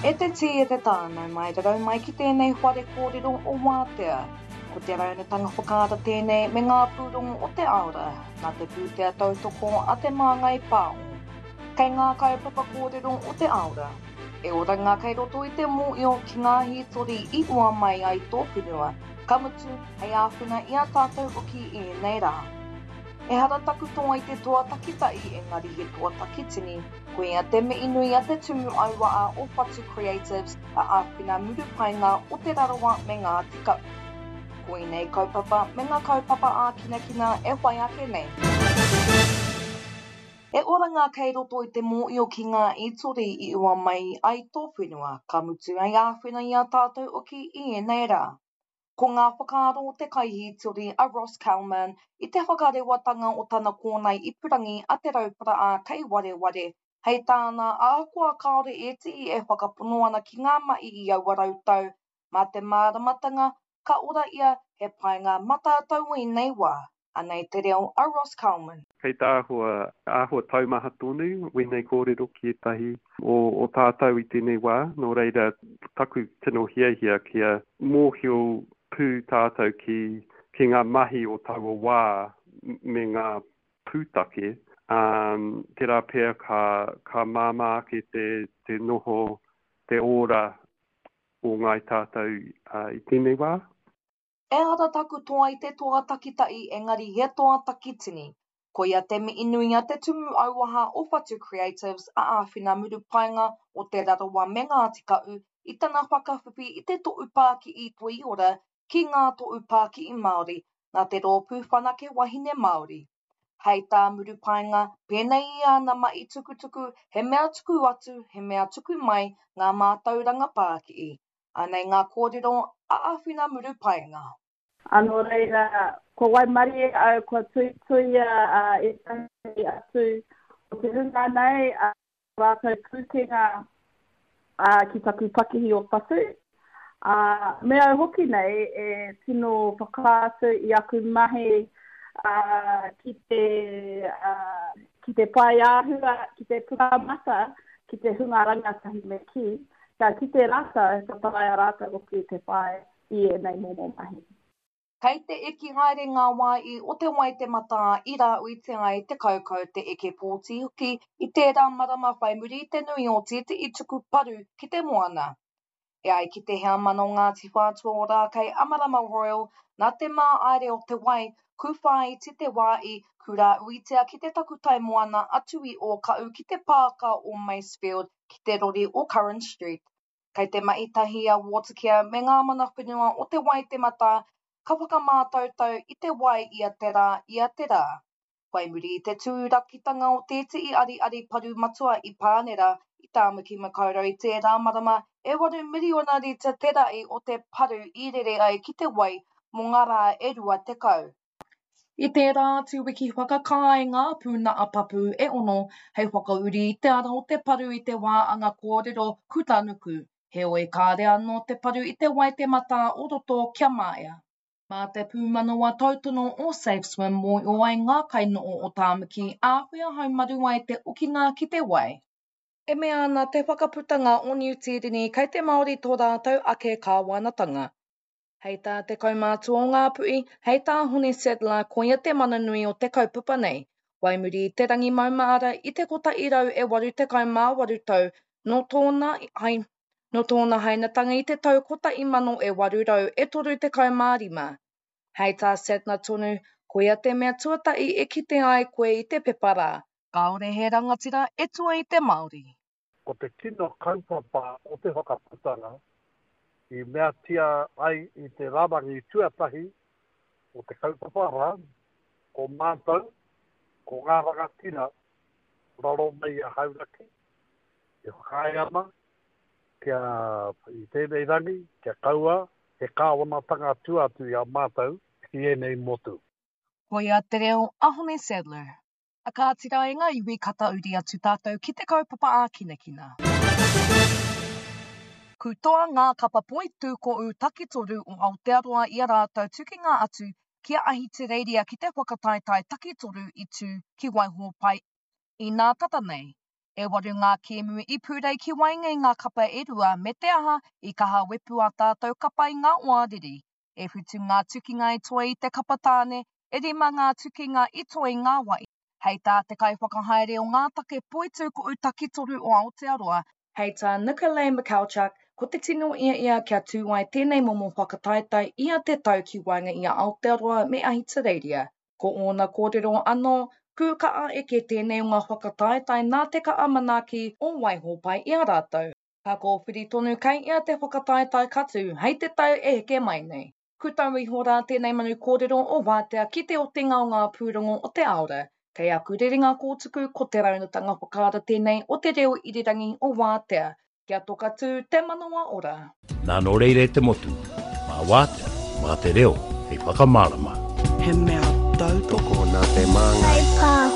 E te tī e te tā, nau mai rarau mai ki tēnei whare kōrero o Wātea. Ko te raunatanga whakaara tēnei me ngā pūrongo o te aora, nā te pūtea tautoko a Te Māngai Pāho. Kei ngā kaupapa kōrero o te aora, e oranga kei roto i te mōio ki ngā hītori i ua mai ai tō whenua, ka mutu, hei āwhina i a tātou hoki i ēnei rā. Ehara taku toa i te toa takitahi engari he toa takitini, Koia te mihi nui a te Tumu Auaa o Whatu Creatives a Āwhina Murupaenga o Te Rarawa me Ngāti Kahu. Koinei kaupapa me ngā kaupapa ākinakina e whai ake nei. He oranga kei roto i te mōio ki ngā itori i ua mai ai tō whenua, ka mutu hei āwhina i a tātou hoki i ēnei rā. Ko ngā whakaaro o te kaihītori a Ross Calman i te whakarewatanga o tana kōnae ipurangi a Te Rauparaā kei wareware, hei tāna, ahakoa kāore ētehi e whakapono ana ki ngā mahi i aua rautau, mā te māramatanga ka ora ia he painga mā tātou o ēnei wā. Anei te reo a Ross Calman. Kei te āhua, āhua taumaha tonu wēnei kōrero ki ētahi o, o tātou i tēnei wā, nō reira taku tino hiahia kia mōhio pū tātou ki, ki ngā mahi o taua wā me ngā pūtake, ā, tērā pea ka, ka māmā ake te, te noho, te ora o ngāi tātou i tēnei wā. Ehara taku toa i te toa takitahi engari he toa takitini. Koia te mihi nui a te Tumu Auaha o Whatu Creatives a Āwhina Murupaenga o Te Rarawa me Ngāti Kahu i tana whakawhiwhi i te Tohu Pāki'i Toiora ki ngā Tohu Pāki'i Māori nā te Rōpū Whanake Wahine Māori. Hei tā Murupaenga, pēnei i āna mahi tukutuku, he mea tuku atu, he mea tuku mai ngā mātauranga pāki'i. Anei ngā kōrero a Awhina Murupaenga. Ā, nō reira, kua waimarie au, kua tuituia ētahi atu o te hunga nei, ā rātou pūkenga ki taku pakihi o Whatu. Ā, me au hoki nei e tino whakaatu i aku mahi ki te, ki te paeāhua, ki te pukamata, ki te hunga rangatahi me kī, Kia kite rātou, ka taea rātou hoki te whai i ēnei momo mahi. Kei te eke haere ngā wā i o te Waitematā i rāuitia ai te kaukau, te eke pōti hoki i tērā marama whai muri i te nui o tētehi tuku paru ki te moana. E ai ki te heamana o Ngāti Whātua Ōrākei a Marama Royal, nā te māaere o te wai, kūwhāiti te wā i kurāuitia ki te takutai moana atu i Ōkaʻu ki te pāka o Masefield ki te rori o Curran Street. Kei te mahi tahi a Watercare me ngā mana whenua o Te Waitematā ka whakamātautau i te wai ia te rā, ia te rā. Whai muri i te tūrakitanga o tētehi ariari paru matua i Pānera, i Tāmaki Makaurau i tērā marama, e waru miriona rita te rahi o te paru i rere ai ki te wai mō ngā rā e 20. I tērā atu wiki whakakāe ngā pūnaha papu e ono hei whakauri i te ara o te paru i te wā anga kōrero kutanuku, heoi kāre anō te paru i te Waitematā o roto kia maea. Mā te pūmanawa tautono o SafeSwim mōhio ai ngā kainoho o Tāmaki āwhea haumaru ai te okinga ki te wai. E mea ana te Whakaputanga o Niu Tīreni kei te Māori tō rātou ake kāwanatanga. Hei tā te kaumātua o Ngāpuhi, hei tā Hone Sadler koia te mana nui o te kaupapa nei. Whai muri i te rangi maumahara i te 188 tau nō tōna nō tōna hainatanga i te tau 1835. Hei tā Sadler tonu, koia te mea tuatahi e kite ai koe i te pepa rā. Kāore he rangatira e tua i te Māori. Ko te tino kaupapa o te whakaputanga i meatia ai i te rarangi tuatahi o te kaupapa rā, ko mātou, ko ngā rangatira raro mai i a Hauraki, e whakaae ana kia, i tēnei rangi, kia kaua he kāwanatanga tua atu i a mātou ki ēnei motu. Koia te reo a Hone Sadler. A kāti rā e ngā iwi ka tauri atu tātou ki te kaupapa ākinakina. Kūtoa ngā kapa poitūkohu takitoru o Aotearoa i a rātou tukinga atu ki a Ahitereiria ki te whakataetae takitoru i tū ki Waihōpai inā tata nei. E waru ngā kēmu i pūrei ki waenga i ngā kapa e rua me te aha, i kaha wepu ā tātou kapa i ngā oariri. E whitu ngā tukinga i toe i te kapa tāne, e rima ngā tukinga i toe i ngā wai. Hei tā te kaiwhakahaere o ngā take poitūkohu takitoru o Aotearoa, Hei tā Nikolay Michalchuk, ko te tino ia ia kia tū ai tēnei momo whakataetae ia te tau ki waenga i a Aotearoa me Ahitereiria. Ko ōna kōrero anō, kū ka'a eke tēnei o ngā whakataetae nā te ka'a manaaki o Waihōpai i a rātou. Ka kōwhiri tonu kei ia te whakataetae ka tū hei te tau e heke mai nei. Ku tau iho rā tēnei manu kōrero o Wātea ki te otinga o ngā pūrongo o te Aora. Kei aku rerenga kōtuku ko te raunatanga whakaara tēnei o te reo irirangi o Wātea. Kia toka tū te manawa ora. Nā nō reira e te motu, mā Wātea, mā te reo hei whakamārama. He mea tautoko nā te māngai. Kai pā.